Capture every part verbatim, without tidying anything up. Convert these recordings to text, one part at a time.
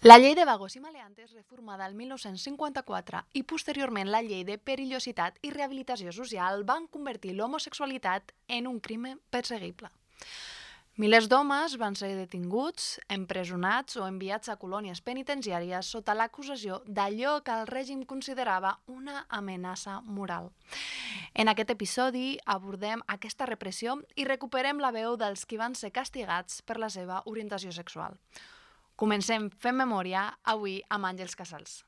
La llei de vagos i maleantes, reformada el mil nou-cents cinquanta-quatre i posteriorment la llei de perillositat i rehabilitació social, van convertir l'homosexualitat en un crimen perseguible. Milers d'homes van ser detinguts, empresonats o enviats a colònies penitenciàries sota l'acusació d'allò que el règim considerava una amenaça moral. En aquest episodi abordem aquesta repressió i recuperem la veu dels qui van ser castigats per la seva orientació sexual. Comencem fent memòria avui amb Àngels Casals.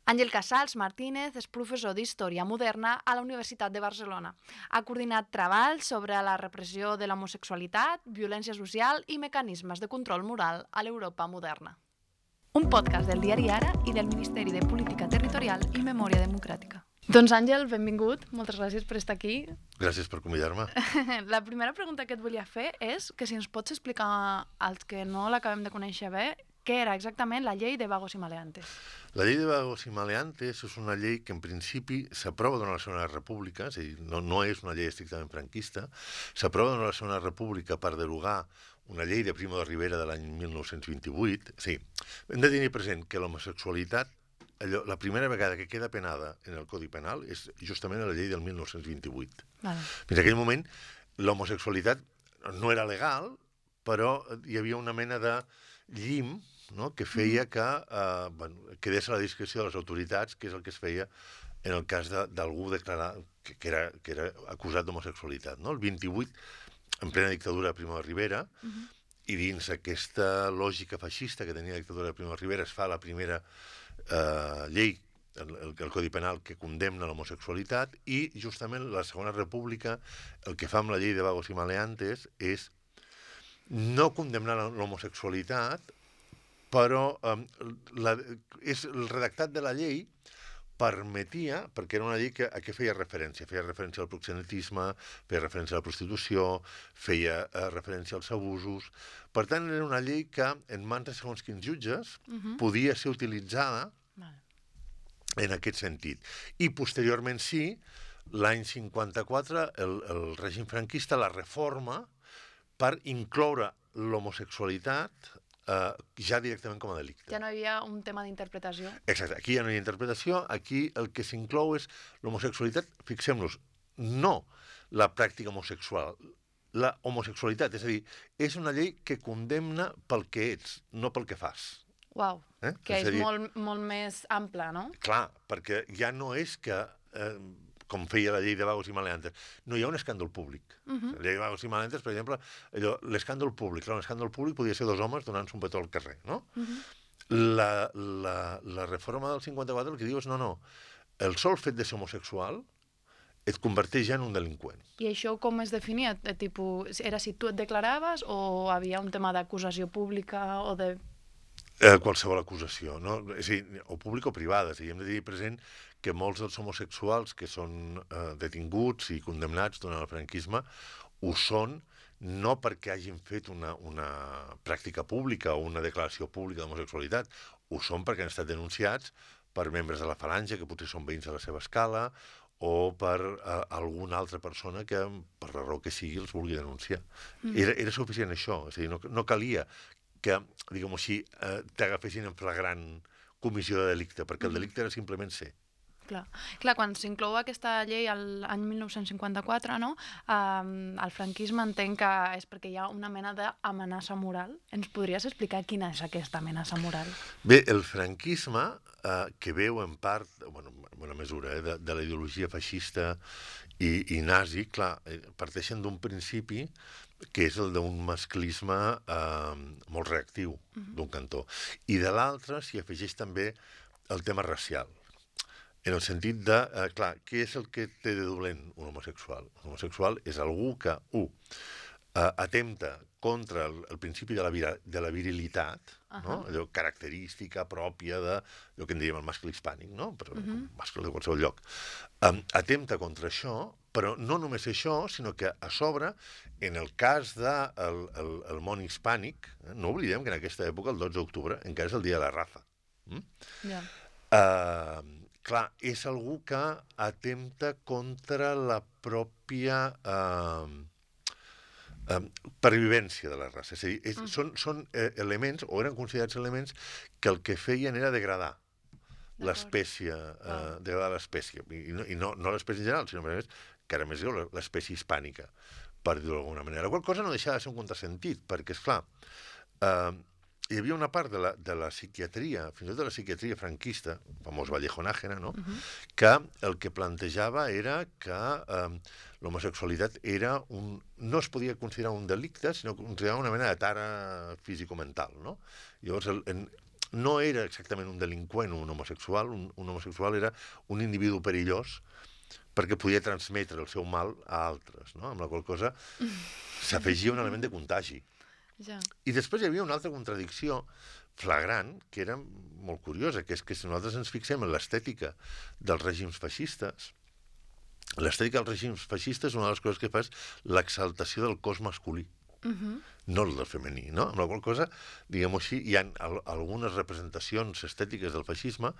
Àngel Casals Martínez és professor d'Història Moderna a la Universitat de Barcelona. Ha coordinat treballs sobre la repressió de l'homosexualitat, violència social i mecanismes de control moral a l'Europa moderna. Un podcast del diari Ara i del Ministeri de Política Territorial i Memòria Democràtica. Doncs Àngel, benvingut. Moltes gràcies per estar aquí. Gràcies per convidar-me. La primera pregunta que et volia fer és que si ens pots explicar als que no l'acabem de conèixer bé què era exactament la llei de vagos i maleantes. La llei de vagos i maleantes és una llei que en principi s'aprova durant la Segona República, és a dir, no, no és una llei estrictament franquista, s'aprova durant la Segona República per derogar una llei de Primo de Rivera de l'any mil nou-cents vint-i-vuit. Sí, hem de tenir present que l'homosexualitat, allò, la primera vegada que queda penada en el Codi Penal és justament a la llei del mil nou-cents vint-i-vuit. Vale. Fins a aquell moment, l'homosexualitat no era legal, però hi havia una mena de llim, no?, que feia que eh, bueno, quedés a la discreció de les autoritats, que és el que es feia en el cas d'algú declarar que, que, era, que era acusat d'homosexualitat. No? El vint-i-vuit, en plena dictadura de Primo de Rivera, uh -huh. i dins aquesta lògica feixista que tenia la dictadura de Primo de Rivera, es fa la primera eh, llei, el, el, el Codi Penal, que condemna l'homosexualitat, i justament la Segona República el que fa amb la llei de vagos i maleantes és no condemnar l'homosexualitat, però eh, la, és, el redactat de la llei permetia, perquè era una llei que, a què feia referència? Feia referència al proxenetisme, feia referència a la prostitució, feia eh, referència als abusos. Per tant, era una llei que, en mans de segons quins jutges, uh-huh. podia ser utilitzada vale. en aquest sentit. I posteriorment sí, l'any cinquanta-quatre, el, el règim franquista la reforma per incloure l'homosexualitat Uh, ja directament com a delicte. Ja no hi havia un tema d'interpretació. Exacte, aquí ja no hi ha interpretació, aquí el que s'inclou és l'homosexualitat, fixem-nos, no la pràctica homosexual, la homosexualitat, és a dir, és una llei que condemna pel que ets, no pel que fas. Uau, eh? que és, és dir, molt, molt més ampla, no? Clar, perquè ja no és que... Eh, com feia la llei de vagos i maleantes, no hi ha un escàndol públic. Uh-huh. La llei de vagos i maleantes, per exemple, allò, l'escàndol públic. Clar, l'escàndol públic podia ser dos homes donant-se un petó al carrer, no? Uh-huh. la, la, la reforma del cinquanta-quatre el que diu és no, no, el sol fet de ser homosexual et converteix ja en un delinqüent. I això com es definia? De tipus, era si tu et declaraves o havia un tema d'acusació pública o de... Eh, qualsevol acusació, no? És a dir, o pública o privada. És a dir, hem de tenir present que molts dels homosexuals que són eh, detinguts i condemnats durant el franquisme ho són no perquè hagin fet una, una pràctica pública o una declaració pública d'homosexualitat, ho són perquè han estat denunciats per membres de la falange, que potser són veïns de la seva escala, o per eh, alguna altra persona que, per la raó que sigui, els vulgui denunciar. Mm. Era, era suficient això, és a dir, no, no calia que, diguem-ho així, eh, t'agafessin en flagrant comissió de delicte, perquè el delicte era simplement ser. Clar. Clar, quan s'inclou aquesta llei l'any mil nou-cents cinquanta-quatre, no? Um, el franquisme entenc que és perquè hi ha una mena d'amenaça moral. Ens podries explicar quina és aquesta amenaça moral? Bé, el franquisme, eh, que veu en part, bueno, en bona mesura, eh, de, de la ideologia feixista i, i nazi, clar, eh, parteixen d'un principi que és el d'un masclisme eh, molt reactiu, uh-huh. d'un cantó. I de l'altre s'hi afegeix també el tema racial. En el sentit de, eh, clar, què és el que té de dolent un homosexual? Un homosexual és algú que, u, eh, atempta contra el, el principi de la, vira, de la virilitat, uh-huh. no? Allò característica pròpia de, allò que en diríem el mascle hispànic, no? Però, uh-huh. mascle de qualsevol lloc. Um, atempta contra això, però no només això, sinó que a sobre, en el cas del de el, el, el món hispànic, eh, no oblidem que en aquesta època, el dotze d'octubre, encara és el dia de la raza. Mm? Yeah. Uh, Clar, és algú que atempta contra la pròpia... Eh, eh, pervivència de la raça. És a dir, és, mm. són, són eh, elements, o eren considerats elements, que el que feien era degradar l'espècie, eh, degradar l'espècie. I, no, i no, no l'espècie en general, sinó a més, que era més greu, l'espècie hispànica, per dir-ho d'alguna manera. La qual cosa no deixava de ser un contrasentit, perquè, esclar, eh, hi havia una part de la, de la psiquiatria, fins i tot de la psiquiatria franquista, el famós Vallejo Nájera, no? Uh-huh. que el que plantejava era que eh, l'homosexualitat era un, no es podia considerar un delicte, sinó que considerava una mena de tara físico-mental, no? Llavors, el, en, no era exactament un delinqüent un homosexual, un, un homosexual era un individu perillós perquè podia transmetre el seu mal a altres, no? Amb la qual cosa s'afegia un element de contagi. Ja. I després hi havia una altra contradicció flagrant, que era molt curiosa, que és que si nosaltres ens fixem en l'estètica dels règims feixistes, l'estètica dels règims feixistes, una de les coses que fa és l'exaltació del cos masculí, uh-huh. no el del femení, no? Amb la qual cosa, diguem-ho així, hi ha al algunes representacions estètiques del feixisme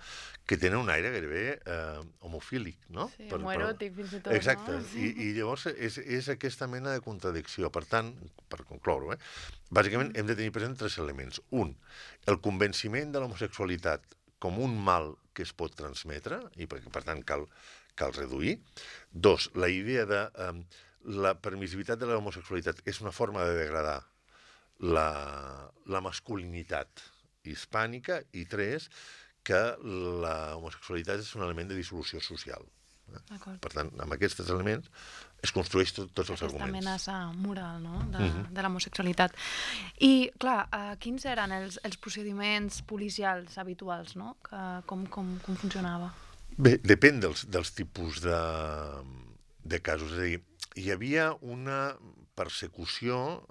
que tenen un aire gairebé eh, homofílic, no? Sí, per, homoeròtic, fins i tot, exacte. no? I, i llavors és, és aquesta mena de contradicció. Per tant, per concloure, eh, bàsicament mm. hem de tenir present tres elements. Un, el convenciment de l'homosexualitat com un mal que es pot transmetre, i per, per tant cal, cal reduir. Dos, la idea de eh, la permissivitat de l'homosexualitat és una forma de degradar la, la masculinitat hispànica. I tres, que la homosexualitat és un element de dissolució social. Per tant, amb aquests elements es construeix tot, tots els Aquesta arguments. Aquesta amenaça moral, no?, de, uh-huh. de l'homosexualitat. I, clar, uh, quins eren els, els procediments policials habituals, no? Que, com, com, com funcionava? Bé, depèn dels, dels tipus de, de casos. És a dir, hi havia una persecució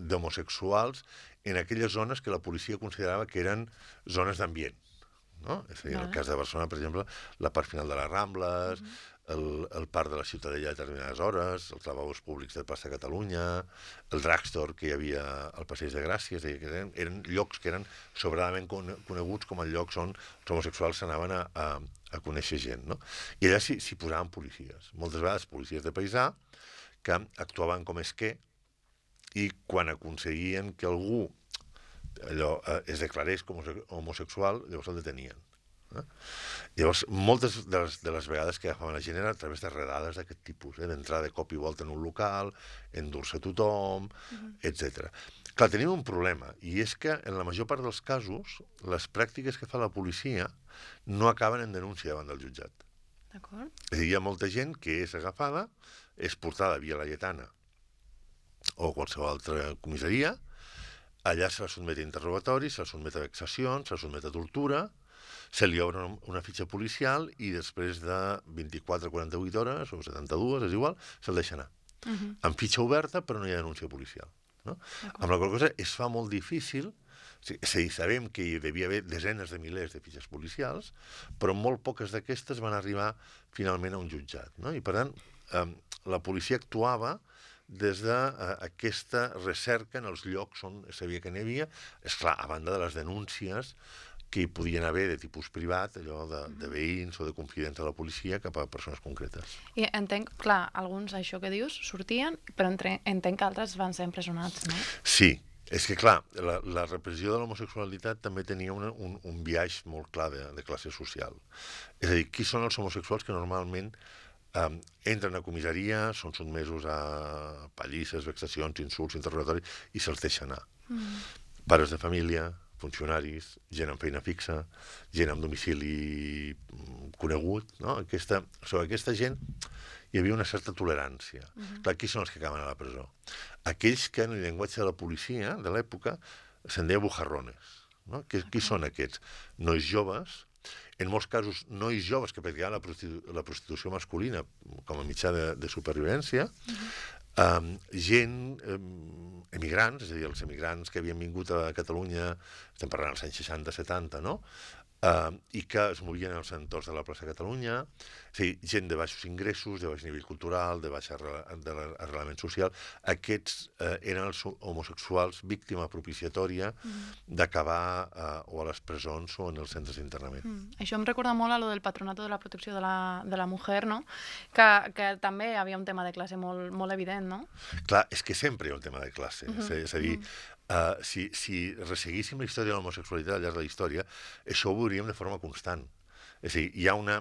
d'homosexuals en aquelles zones que la policia considerava que eren zones d'ambient. No? És a dir, en el cas de Barcelona, per exemple, la part final de les Rambles, uh-huh. el, el parc de la Ciutadella a determinades hores, els lavabos públics de Plaça Catalunya, el drugstore que hi havia al Passeig de Gràcia, és a dir, que eren, eren llocs que eren sobradament coneguts com el llocs on els homosexuals s'anaven a, a, a conèixer gent. No? I allà s'hi s'hi posaven policies. Moltes vegades policies de paisà que actuaven com esquer i quan aconseguien que algú allò eh, es declarés com homosexual, llavors el detenien. Eh? Llavors, moltes de les, de les vegades que agafaven la gent era a través de redades d'aquest tipus, eh? d'entrar de cop i volta en un local, endur-se tothom, uh-huh. etcètera. Clar, tenim un problema, i és que en la major part dels casos les pràctiques que fa la policia no acaben en denúncia davant del jutjat. D'acord. És a dir, hi ha molta gent que és agafada, és portada via Laietana o qualsevol altra comissaria, allà se la sotmet a interrogatoris, se la sotmet a vexacions, se la sotmet a tortura, se li obre una, una fitxa policial i després de vint-i-quatre a quaranta-vuit hores, o setanta-dues, és igual, se'l deixa anar. Uh-huh. Amb fitxa oberta, però no hi ha denúncia policial. No? Amb la qual cosa es fa molt difícil, és a dir, sabem que hi devia haver desenes de milers de fitxes policials, però molt poques d'aquestes van arribar finalment a un jutjat. No? I per tant, eh, la policia actuava des d'aquesta de, uh, recerca en els llocs on sabia que n'hi havia, esclar, a banda de les denúncies que hi podien haver de tipus privat, allò de, de veïns o de confidents de la policia cap a persones concretes. I entenc, clar, alguns, això que dius, sortien, però entre, entenc que altres van ser empresonats, no? Sí, és que, clar, la, la repressió de l'homosexualitat també tenia una, un, un biaix molt clar de, de classe social. És a dir, qui són els homosexuals que normalment Um, entren a comissaria, són sotmesos a pallisses, vexacions, insults, interrogatoris, i se'ls deixa anar. Mm. Pares de família, funcionaris, gent amb feina fixa, gent amb domicili conegut, no? Aquesta, sobre aquesta gent hi havia una certa tolerància. Mm-hmm. Clar, qui són els que acaben a la presó? Aquells que en el llenguatge de la policia de l'època se'n deia bujarrones. No? Qui, okay. qui són aquests? Nois joves, en molts casos nois joves que practicaven la, prostitu la prostitució masculina com a mitjà de, de supervivència, uh-huh. um, gent, um, emigrants, és a dir, els emigrants que havien vingut a Catalunya, estem parlant dels anys seixanta setanta, no? Uh, i que es movien als entorns de la plaça Catalunya, és a dir, gent de baixos ingressos, de baix nivell cultural, de baix arrelament social. Aquests uh, eren els homosexuals víctima propiciatòria mm. d'acabar uh, o a les presons o en els centres d'internament. Mm. Això em recorda molt a lo del Patronato de la Protecció de la, de la Mujer, no? Que, que també havia un tema de classe molt, molt evident, no? Clar, és que sempre hi ha un tema de classe. Mm-hmm. És a dir, mm-hmm. Uh, si, si resseguíssim la història de l'homosexualitat al llarg de la història, això ho veuríem de forma constant. És a dir, hi ha una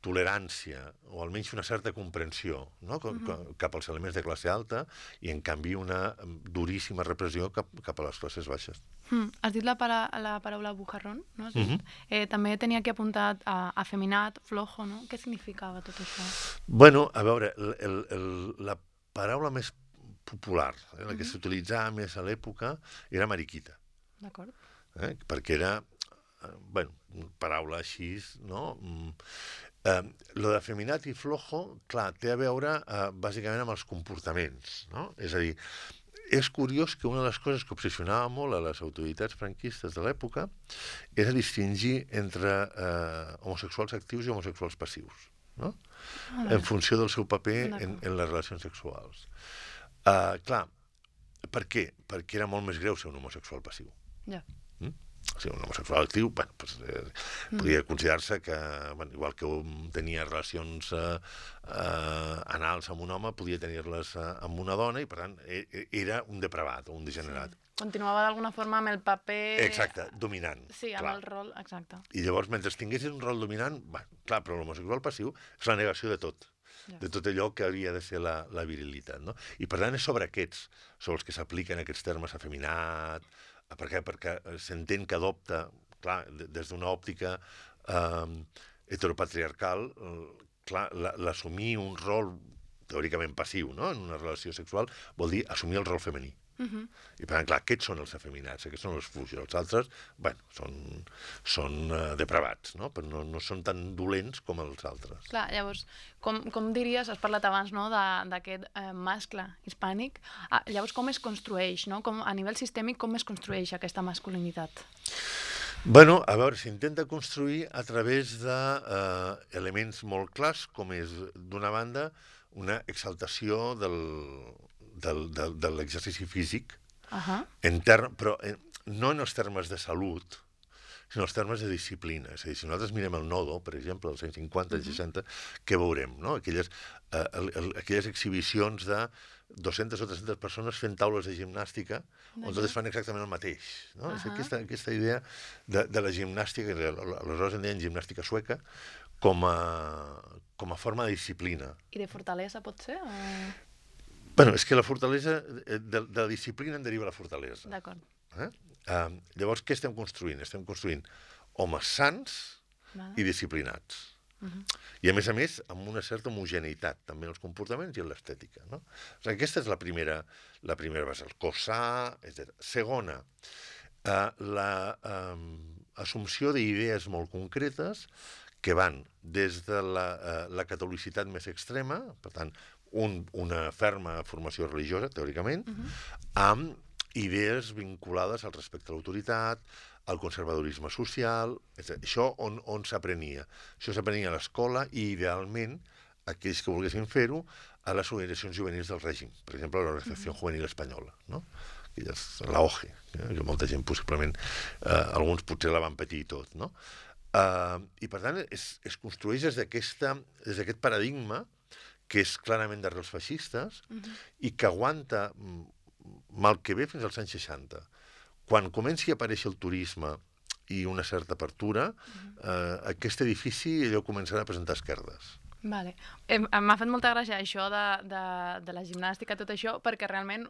tolerància, o almenys una certa comprensió, no? mm-hmm. cap als elements de classe alta, i en canvi una duríssima repressió cap, cap a les classes baixes. Mm. Has dit la, para, la paraula bujarrón, no? Mm-hmm. eh, també tenia aquí apuntat a, afeminat, flojo, no? Què significava tot això? Bueno, a veure, el, el, el, la paraula més popular, eh, la que mm-hmm. s'utilitzava més a l'època, era mariquita. D'acord. Eh, perquè era, eh, bueno, paraula així, no? Mm, eh, lo d'afeminat i flojo, clar, té a veure eh, bàsicament amb els comportaments, no? És a dir, és curiós que una de les coses que obsessionava molt a les autoritats franquistes de l'època era distingir entre eh, homosexuals actius i homosexuals passius, no? Ah, en funció del seu paper en, en les relacions sexuals. Uh, clar, per què? Perquè era molt més greu ser un homosexual passiu. Ja. Mm? O sigui, un homosexual actiu, bueno, pues, eh, mm. podia considerar-se que, bueno, igual que un tenia relacions eh, eh, anals amb un home, podia tenir-les eh, amb una dona, i per tant era un depravat o un degenerat. Sí. Continuava d'alguna forma amb el paper... Exacte, dominant. Sí, amb clar. El rol, exacte. I llavors, mentre tinguessis un rol dominant, bueno, clar, però l'homosexual passiu és la negació de tot. De tot allò que havia de ser la, la virilitat, no? I per tant és sobre aquests, sobre els que s'apliquen aquests termes afeminat, per què? Perquè s'entén que adopta, clar, des d'una òptica eh, heteropatriarcal, eh, clar, l'assumir un rol teòricament passiu, no?, en una relació sexual, vol dir assumir el rol femení. Uh-huh. I per tant, clar, aquests són els afeminats, aquests són els fluixos, els altres, bueno, són, són uh, depravats, no? Però no, no són tan dolents com els altres. Clar, llavors, com, com diries, has parlat abans, no?, d'aquest eh, mascle hispànic, ah, llavors com es construeix, no?, com, a nivell sistèmic, com es construeix aquesta masculinitat? Bueno, a veure, s'intenta construir a través d'elements eh, molt clars, com és, d'una banda, una exaltació del... del, del, de l'exercici físic, uh-huh. en ter però en, no en els termes de salut, sinó en els termes de disciplina. És a dir, si nosaltres mirem el Nodo, per exemple, als anys cinquanta, uh-huh. seixanta, què veurem? No? Aquelles, eh, el, el, aquelles exhibicions de dues-centes o tres-centes persones fent taules de gimnàstica, on totes fan exactament el mateix. No? Uh-huh. És aquesta, aquesta idea de, de la gimnàstica, que aleshores en deien gimnàstica sueca, com a, com a forma de disciplina. I de fortalesa, pot ser? O... Bueno, és que la fortalesa, de, de la disciplina en deriva la fortalesa. D'acord. Eh? Uh, llavors, què estem construint? Estem construint homes sants vale. I disciplinats. Uh-huh. I, a més a més, amb una certa homogeneïtat, també en els comportaments i en l'estètica. No? O sigui, aquesta és la primera, la primera base, el cos sa, etcètera. Segona, uh, la uh, assumpció d'idees molt concretes que van des de la, uh, la catolicitat més extrema, per tant, Un, una ferma formació religiosa, teòricament, uh-huh. amb idees vinculades al respecte a l'autoritat, al conservadorisme social, etcètera. Això on, on s'aprenia. Això s'aprenia a l'escola i, idealment, aquells que volguessin fer-ho, a les organitzacions juvenils del règim. Per exemple, l'Organització uh-huh. Juvenil Espanyola, no? La O G, eh? Que molta gent, possiblement, eh, alguns potser la van patir i tot, no? Eh, I, per tant, es, es construeix des d'aquest paradigma que és clarament d'arrels feixistes uh-huh. i que aguanta mal que bé fins als anys seixanta. Quan comenci a aparèixer el turisme i una certa apertura, uh-huh. eh, aquest edifici allò començarà a presentar esquerdes. Vale. Eh, m'ha fet molta gràcia això de, de, de la gimnàstica, tot això, perquè realment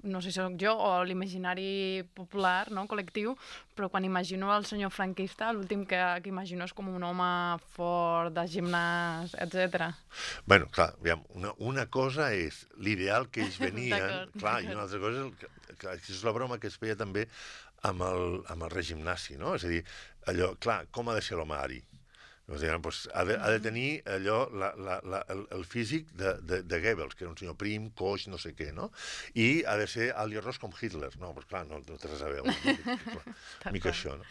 no sé si soc jo o l'imaginari popular, no, col·lectiu, però quan imagino el senyor franquista, l'últim que, que imagino és com un home fort, de gimnàs, etcètera. Bueno, clar, aviam, una, una cosa és l'ideal que ells venien, clar, i una altra cosa és, que, que és la broma que es feia també amb el, amb el règim nazi, no? És a dir, allò, clar, com ha de ser l'home ari? O sigui, doncs, ha, de, ha de tenir allò, la, la, la, el, el físic de, de, de Goebbels, que era un senyor prim, coix, no sé què, no? I ha de ser alt i ros com Hitler. No, però clar, no, no té res a veure. No? Mica això, no?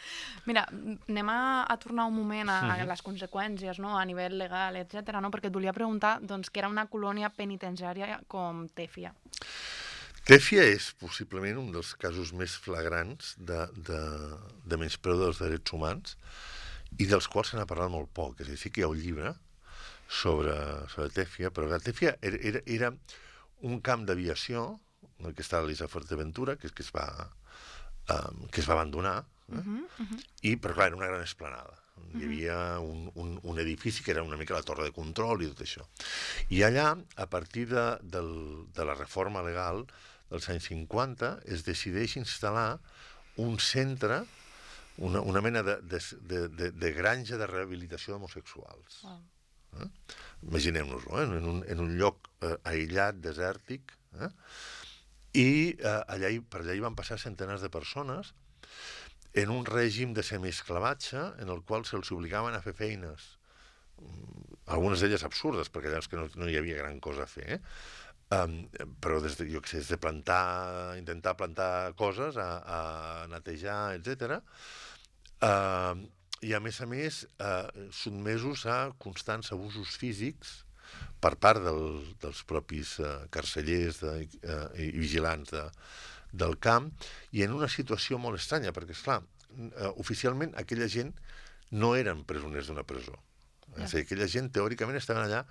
Mira, anem a, a tornar un moment a, a les conseqüències, no? A nivell legal, etcètera, no? Perquè et volia preguntar doncs, que era una colònia penitenciària com Tèfia. Tèfia és possiblement un dels casos més flagrants de, de, de menyspreu dels drets humans i dels quals se n'ha parlat molt poc. És a dir, sí que hi ha un llibre sobre, sobre Tèfia, però la Tèfia era, era, era un camp d'aviació en el que estava l'Isa Fuerteventura, que, que, es va, um, que es va abandonar, eh? uh-huh, uh-huh. I, però clar, era una gran esplanada. Uh-huh. Hi havia un, un, un edifici que era una mica la torre de control i tot això. I allà, a partir de, del, de la reforma legal dels anys cinquanta, es decideix instal·lar un centre, una, una mena de, de, de, de granja de rehabilitació d'homosexuals. Wow. Eh? Imaginem-nos-ho, eh? en, un, en un lloc eh, aïllat, desèrtic, eh? I eh, allà, per allà hi van passar centenars de persones en un règim de semiesclavatge en el qual se'ls obligaven a fer feines, algunes d'elles absurdes, perquè allà és que no, no hi havia gran cosa a fer, eh? Um, però des de, jo què sé, des de plantar, intentar plantar coses, a, a netejar, etcètera. Uh, I a més a més, uh, sotmesos a constants abusos físics per part del, dels propis uh, carcellers de, uh, i vigilants de, del camp, i en una situació molt estranya, perquè, esclar, uh, oficialment aquella gent no eren presoners d'una presó. Yeah. És a dir, aquella gent teòricament estaven allà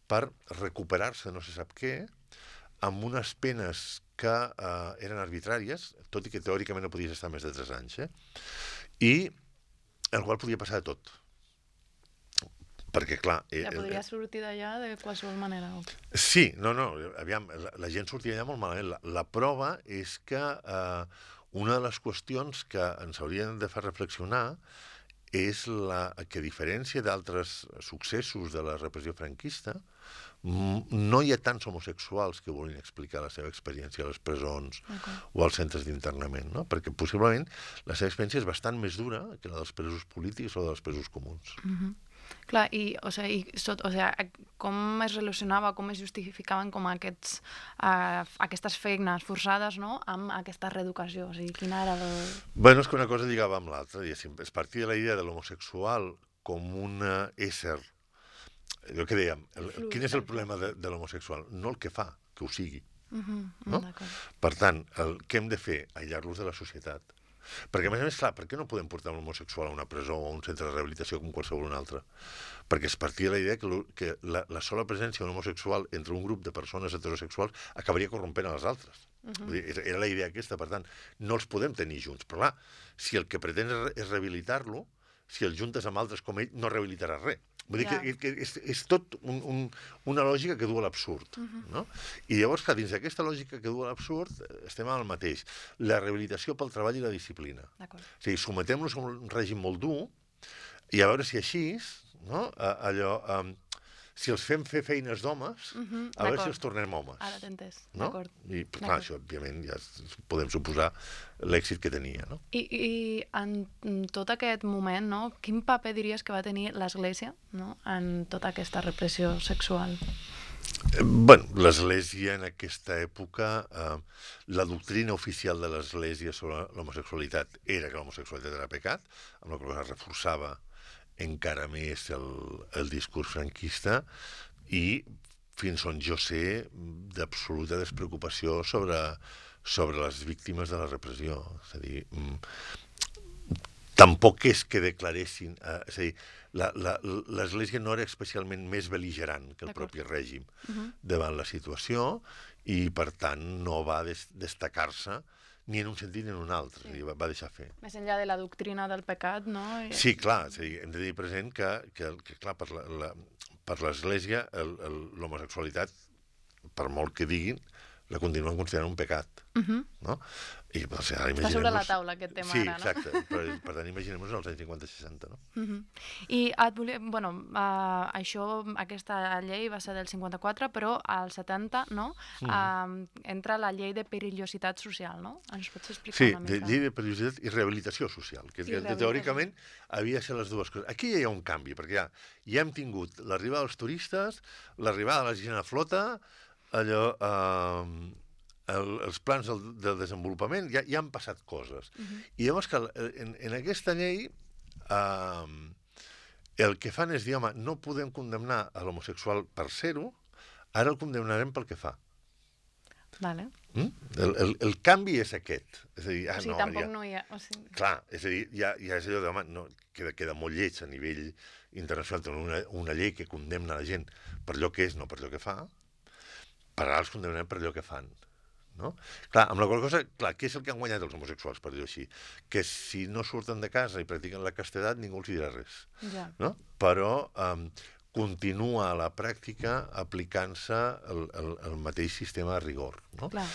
per recuperar-se no se sap què, amb unes penes que eh, eren arbitràries, tot i que teòricament no podies estar més de tres anys, eh? I el qual podia passar de tot. Perquè, clar... Eh, ja podria eh, sortir d'allà de qualsevol manera. Sí, no, no, aviam, la, la gent sortia d'allà molt malament. La, la prova és que eh, una de les qüestions que ens haurien de fer reflexionar és la, que, a diferència d'altres successos de la repressió franquista, no hi ha tants homosexuals que vulguin explicar la seva experiència a les presons okay. o als centres d'internament, no? Perquè possiblement la seva experiència és bastant més dura que la dels presos polítics o dels presos comuns. Mm-hmm. Clar, i, o sigui, i so, o sigui, com es relacionava, com es justificaven com aquests, uh, aquestes feines forçades, no?, amb aquesta reeducació? O sigui, quina era el... Bueno, és que una cosa lligava amb l'altra, diguéssim. Es partia de la idea de l'homosexual com un ésser. Jo que dèiem, el, quin és el problema de, de l'homosexual? No el que fa, que ho sigui. Uh-huh, no? Per tant, el, què hem de fer? Aïllar-los de la societat. Perquè, a més a més, clar, per què no podem portar un homosexual a una presó o a un centre de rehabilitació com qualsevol un altre? Perquè es partia de la idea que, lo, que la, la sola presència d'un homosexual entre un grup de persones heterosexuals acabaria corrompent a les altres. Uh-huh. Vull dir, era la idea aquesta, per tant, no els podem tenir junts. Però, clar, si el que pretén és rehabilitar-lo, si el juntes amb altres com ell, no rehabilitarà res. Vull dir yeah. que, que és, és tot un, un, una lògica que du a l'absurd. Uh-huh. No? I llavors, clar, dins d'aquesta lògica que du a l'absurd, estem al mateix. La rehabilitació pel treball i la disciplina. O sigui, sometem-los a un règim molt dur i a veure si així, no? allò... Um, si els fem fer feines d'homes, uh-huh, a veure si els tornem homes. Ara t'he entès, no? d'acord. I, clar, això, òbviament, ja podem suposar l'èxit que tenia, no? I, i en tot aquest moment, no, quin paper diries que va tenir l'Església, no?, en tota aquesta repressió sexual? Eh, bueno, l'Església en aquesta època, eh, la doctrina oficial de l'Església sobre l'homosexualitat era que l'homosexualitat era pecat, amb la qual es reforçava encara més el, el discurs franquista i, fins on jo sé, d'absoluta despreocupació sobre, sobre les víctimes de la repressió. És a dir, tampoc és que declaressin... Eh, és a dir, l'Església no era especialment més bel·ligerant que el propi règim uh-huh. davant la situació i, per tant, no va des, destacar-se ni en un sentit ni en un altre, sí. va, va deixar fer. Més enllà de la doctrina del pecat, no? I... Sí, clar, sí, hem de tenir present que, que, que clar, per, la, la, per l'Església l'homosexualitat, per molt que diguin, la continuen considerant un pecat. Uh-huh. No? I, doncs, ara Està sobre la taula aquest tema sí, ara, no? Sí, exacte. Per, per tant, imaginem-nos els anys cinquanta seixanta, no? Uh-huh. I et volia... Bueno, uh, això, aquesta llei va ser del cinquanta-quatre, però al setanta, no? Uh, uh, entra la llei de perillositat social, no? Ens pots explicar sí, una mica? Sí, llei de perillositat i rehabilitació social, que, que teòricament havia de ser les dues coses. Aquí ja hi ha un canvi, perquè ja, ja hem tingut l'arribada dels turistes, l'arribada de la gent a flota, allò... Uh, El, els plans del, del desenvolupament, ja, ja han passat coses. Uh-huh. I llavors que en, en aquesta llei eh, el que fan és dir, home, no podem condemnar a l'homosexual per ser-ho, ara el condemnarem pel que fa. Vale. Mm? El, el, el canvi és aquest. És a dir, ah, o sigui, no, tampoc ja... no hi ha... O sigui... Clar, és a dir, ja, ja és allò de, home, no, queda, queda molt lleig a nivell internacional tenir una, una llei que condemna la gent per allò que és, no per allò que fa, per ara els condemnarem per allò que fan. No? Clar, amb la qual cosa, clar, què és el que han guanyat els homosexuals, per dir-ho així? Que si no surten de casa i practiquen la castedat, ningú els dirà res. Ja. No? Però um, continua a la pràctica aplicant-se el, el, el mateix sistema de rigor. No? Clar.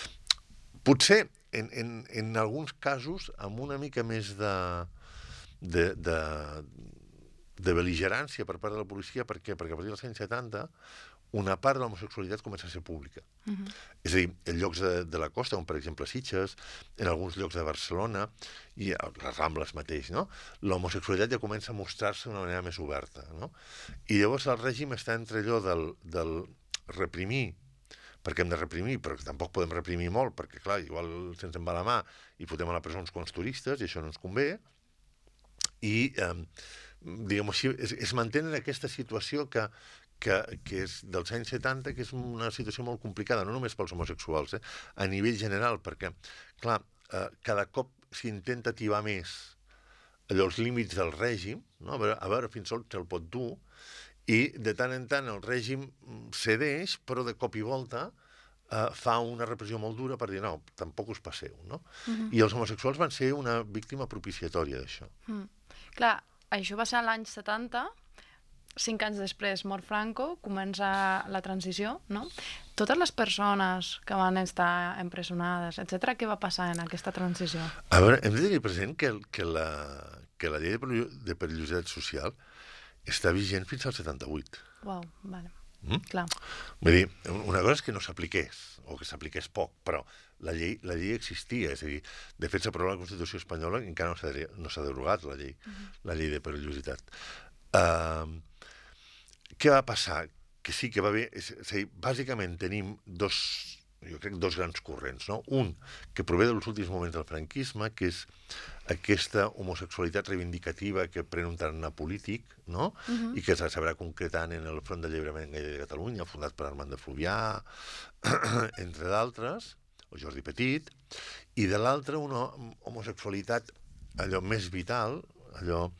Potser, en, en, en alguns casos, amb una mica més de, de, de, de bel·ligerància per part de la policia, per què? Perquè a partir dels anys setanta una part de l'homosexualitat comença a ser pública. Uh-huh. És a dir, en llocs de, de la costa, com per exemple Sitges, en alguns llocs de Barcelona, i a les Rambles mateix, no? L'homosexualitat ja comença a mostrar-se d'una manera més oberta. No? I llavors el règim està entre allò del, del reprimir, perquè hem de reprimir, però tampoc podem reprimir molt, perquè, clar, igual se'ns en va la mà i fotem a la presó uns quants turistes, i això no ens convé, i, eh, diguem-ho així, es, es mantén en aquesta situació que Que, que és dels anys setanta, que és una situació molt complicada, no només pels homosexuals, eh? A nivell general, perquè, clar, eh, cada cop s'intenta ativar més allò, els límits del règim, no? a, veure, a veure fins on se'l pot dur, i de tant en tant el règim cedeix, però de cop i volta eh, fa una repressió molt dura per dir, no, tampoc us passeu, no? Uh-huh. I els homosexuals van ser una víctima propiciatòria d'això. Mm. Clar, això va ser l'any setanta, cinc anys després mor Franco, comença la transició, no? Totes les persones que van estar empresonades, etcètera, què va passar en aquesta transició? A veure, hem de tenir present que, que, la, que la llei de, de perillositat social està vigent fins al setanta-vuit. Uau, vale. Mm? Clar. Vull dir, una cosa és que no s'apliqués, o que s'apliqués poc, però la llei, la llei existia, és a dir, de fet s'aprova la Constitució espanyola i encara no s'ha, no s'ha derogat la llei, uh-huh. la llei de perillositat. Uh, Què va passar? Que sí que va haver... És, és a dir, bàsicament tenim dos, jo crec, dos grans corrents, no? Un, que prové dels últims moments del franquisme, que és aquesta homosexualitat reivindicativa que pren un tarannà polític, no? Uh-huh. I que es sabrà concretant en el Front d'Alliberament Gay de Catalunya, fundat per Armand de Fluvià, entre d'altres, o Jordi Petit, i de l'altra una homosexualitat allò més vital, allò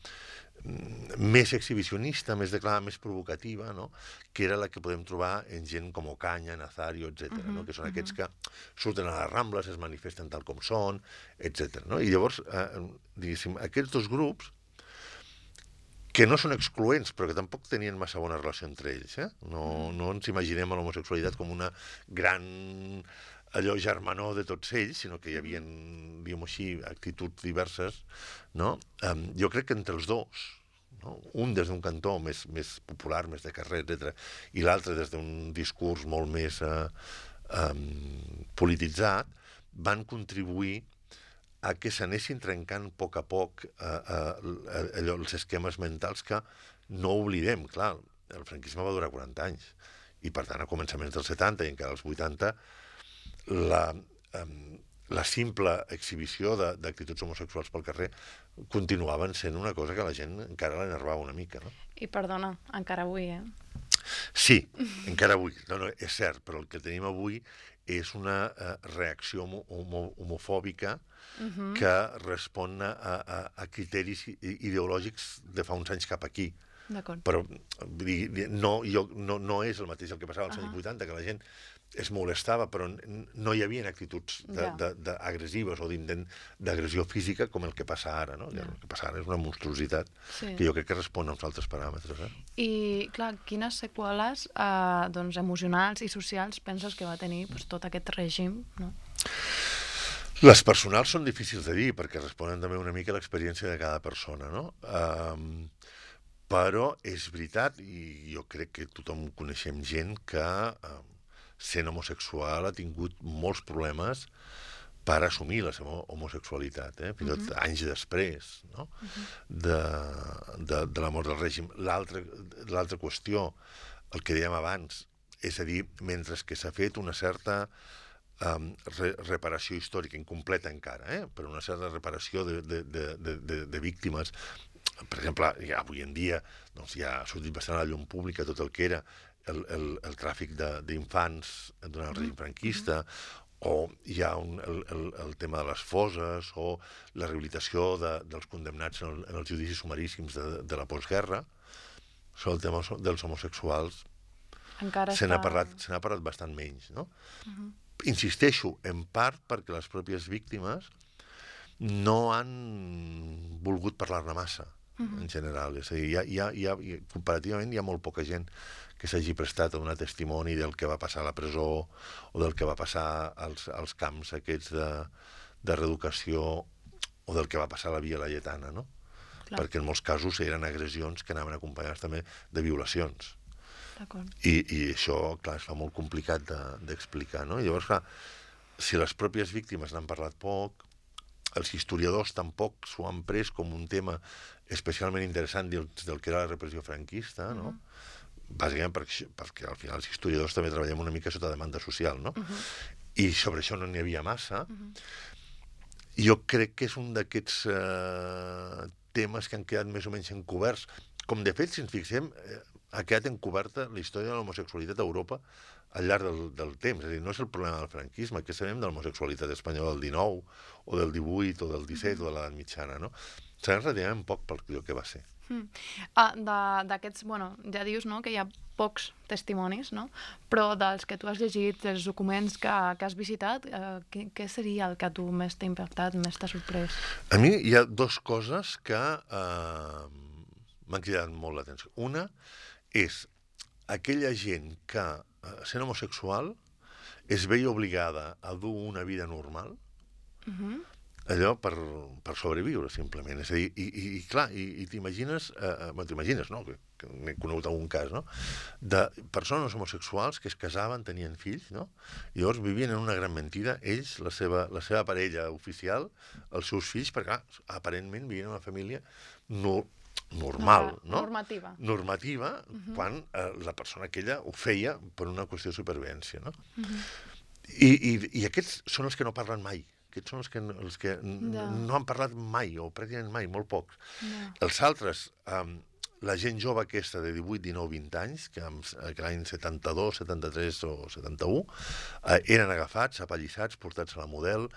més exhibicionista, més declarada, més provocativa, no? Que era la que podem trobar en gent com Ocaña, Nazario, etcètera, uh-huh, no? Que són uh-huh. aquests que surten a les Rambles, es manifesten tal com són, etcètera. No? I llavors, eh, diguéssim, aquests dos grups, que no són excloents, però que tampoc tenien massa bona relació entre ells, eh? No, no ens imaginem a l'homosexualitat com una gran allò germanor de tots ells, sinó que hi havia, diguem-ho així, actituds diverses, no? Um, jo crec que entre els dos, no? Un des d'un cantó més, més popular, més de carrer, etcètera, i l'altre des d'un discurs molt més uh, um, polititzat, van contribuir a que s'anessin trencant a poc a poc uh, uh, allò, els esquemes mentals que no oblidem, clar, el franquisme va durar quaranta anys, i per tant a començaments dels setanta i encara als vuitanta la, um, la simple exhibició d'actituds homosexuals pel carrer continuaven sent una cosa que la gent encara l'enervava una mica, no? I perdona, encara avui, eh? Sí, encara avui. No, no, és cert, però el que tenim avui és una uh, reacció homo homo homofòbica uh-huh. que respon a, a, a criteris ideològics de fa uns anys cap aquí. Però no, jo, no, no és el mateix el que passava als uh-huh. anys vuitanta, que la gent es molestava, però no hi havia actituds agressives o d'intent d'agressió física com el que passa ara, no? Ja. El que passa ara és una monstruositat sí. que jo crec que respon a uns altres paràmetres. Eh? I, clar, quines seqüeles eh, doncs, emocionals i socials penses que va tenir doncs, tot aquest règim, no? Les personals són difícils de dir, perquè responen també una mica a l'experiència de cada persona, no? Um, però és veritat, i jo crec que tothom coneixem gent que... Um, sent homosexual ha tingut molts problemes per assumir la seva homosexualitat, eh? fins i tot uh -huh. anys després, no? uh -huh. de, de, de la mort del règim. L'altra qüestió, el que dèiem abans, és a dir, mentre que s'ha fet una certa um, re reparació històrica, incompleta encara, eh? però una certa reparació de, de, de, de, de, de víctimes, per exemple, ja avui en dia doncs, ja ha sortit bastant a la llum pública tot el que era el, el, el tràfic d'infants durant el règim franquista, mm-hmm. o hi ha un, el, el, el tema de les fosses, o la rehabilitació de, dels condemnats en, el, en els judicis sumaríssims de, de la postguerra. Sobre el tema dels homosexuals se n'ha està... parlat, se n'ha parlat bastant menys, no? Mm-hmm. Insisteixo, en part perquè les pròpies víctimes no han volgut parlar-ne massa, mm-hmm. en general. És a dir, hi ha, hi ha, hi ha, comparativament hi ha molt poca gent que s'hagi prestat a donar testimoni del que va passar a la presó o del que va passar als, als camps aquests de, de reeducació o del que va passar a la Via Laietana, no? Clar. Perquè en molts casos eren agressions que anaven acompanyades també de violacions. I, i això, clar, es fa molt complicat d'explicar, de, no? I llavors, clar, si les pròpies víctimes n'han parlat poc, els historiadors tampoc s'ho han pres com un tema especialment interessant del, del que era la repressió franquista, no? Uh-huh. Bàsicament perquè, perquè al final els historiadors també treballem una mica sota demanda social, no? Uh-huh. I sobre això no n'hi havia massa. Uh-huh. Jo crec que és un d'aquests eh, temes que han quedat més o menys encoberts. Com de fet, si ens fixem, eh, ha quedat encoberta la història de l'homosexualitat a Europa al llarg del, del temps. És a dir, no és el problema del franquisme, que sabem de l'homosexualitat espanyola del dinou, o del divuit, o del disset, uh-huh. o de l'edat mitjana, no? Sabem relativament poc pel que va ser. Mm. Ah, d'aquests, bueno, ja dius, no?, que hi ha pocs testimonis, no? Però dels que tu has llegit, dels documents que, que has visitat, eh, què, què seria el que a tu més t'ha impactat, més t'ha sorprès? A mi hi ha dues coses que eh, m'han cridat molt l'atenció. Una és aquella gent que, eh, sent homosexual, es veia obligada a dur una vida normal, uh-huh. allò per, per sobreviure, simplement. És a dir, i, i, i clar, i, i t'imagines, eh, bueno, t'imagines, no?, que, que n'he conegut algun cas, no?, de persones homosexuals que es casaven, tenien fills, no?, i llavors vivien en una gran mentida, ells, la seva, la seva parella oficial, els seus fills, perquè, clar, aparentment vivien en una família no, normal, no? Normativa. Normativa, uh-huh. quan eh, la persona aquella ho feia per una qüestió de supervivència, no? Uh-huh. I, i, I aquests són els que no parlen mai. Aquests són els que, els que no. no han parlat mai, o pràcticament mai, molt pocs. No. Els altres, um, la gent jove aquesta de divuit, dinou, vint anys, que, que l'any setanta-dos, setanta-tres o setanta-u, eh, eren agafats, apallissats, portats a la Model,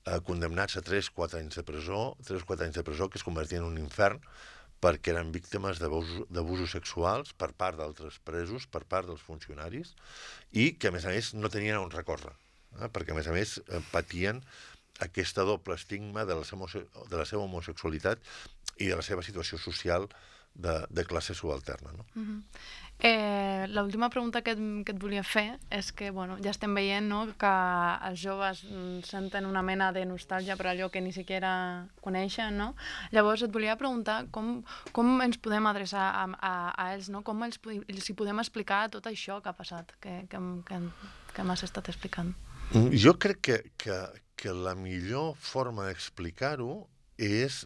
eh, condemnats a tres quatre anys de presó, tres quatre anys de presó, que es convertien en un infern, perquè eren víctimes d'abusos sexuals per part d'altres presos, per part dels funcionaris, i que, a més a més, no tenien on recórrer, eh? perquè, a més a més, eh, patien aquesta doble estigma de la, seva, de la seva homosexualitat i de la seva situació social de, de classe subalterna. No? Uh-huh. eh, L'última pregunta que et, que et volia fer és que, bueno, ja estem veient, no?, que els joves senten una mena de nostàlgia per allò que ni siquiera coneixen, no? Llavors et volia preguntar com, com ens podem adreçar a, a, a ells, no? Com els, els hi podem explicar tot això que ha passat, que, que, que, que m'has estat explicant. Jo crec que, que, que la millor forma d'explicar-ho és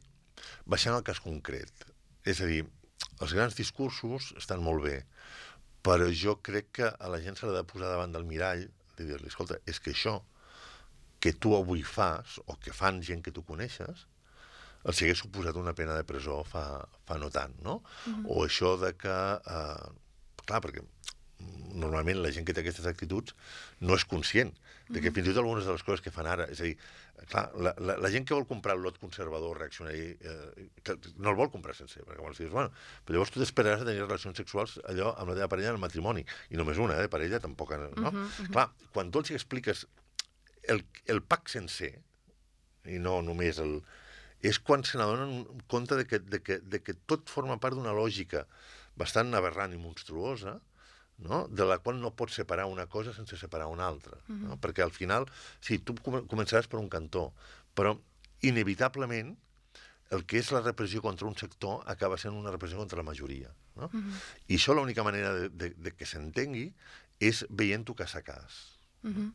baixant al cas concret. És a dir, els grans discursos estan molt bé, però jo crec que a la gent s'ha de posar davant del mirall de dir-li, escolta, és que això que tu avui fas, o que fan gent que tu coneixes, els hagués suposat una pena de presó fa, fa no tant, no? Uh-huh. O això de que... Eh, clar, perquè normalment la gent que té aquestes actituds no és conscient de que fins i tot algunes de les coses que fan ara, és a dir, clar, la, la, la gent que vol comprar el lot conservador, reaccionari, eh, que no el vol comprar sencer, perquè llavors dius, bueno, però llavors tu t'esperaràs a tenir relacions sexuals allò amb la teva parella en el matrimoni, i només una, eh, parella tampoc, no? Uh -huh, uh -huh. Clar, quan tu els expliques el, el pack sencer, i no només el... és quan se n'adonen compte de que, de, que, de que tot forma part d'una lògica bastant aberrant i monstruosa, no? De la qual no pots separar una cosa sense separar una altra. No? Uh-huh. Perquè al final, sí, tu començaràs per un cantó, però inevitablement el que és la repressió contra un sector acaba sent una repressió contra la majoria. No? Uh-huh. I això l'única manera de, de, de que s'entengui és veient-ho cas a cas. Uh-huh.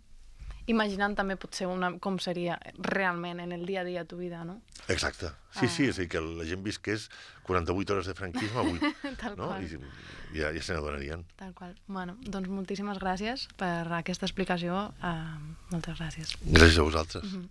Imaginant també potser una, com seria realment en el dia a dia a tu vida, no? Exacte. Sí, ah. sí, és a dir, que la gent visqués quaranta-vuit hores de franquisme avui. Tal no? qual. I ja, ja se n'adonarien. Tal qual. Bueno, doncs moltíssimes gràcies per aquesta explicació. Uh, moltes gràcies. Gràcies a vosaltres. Uh-huh.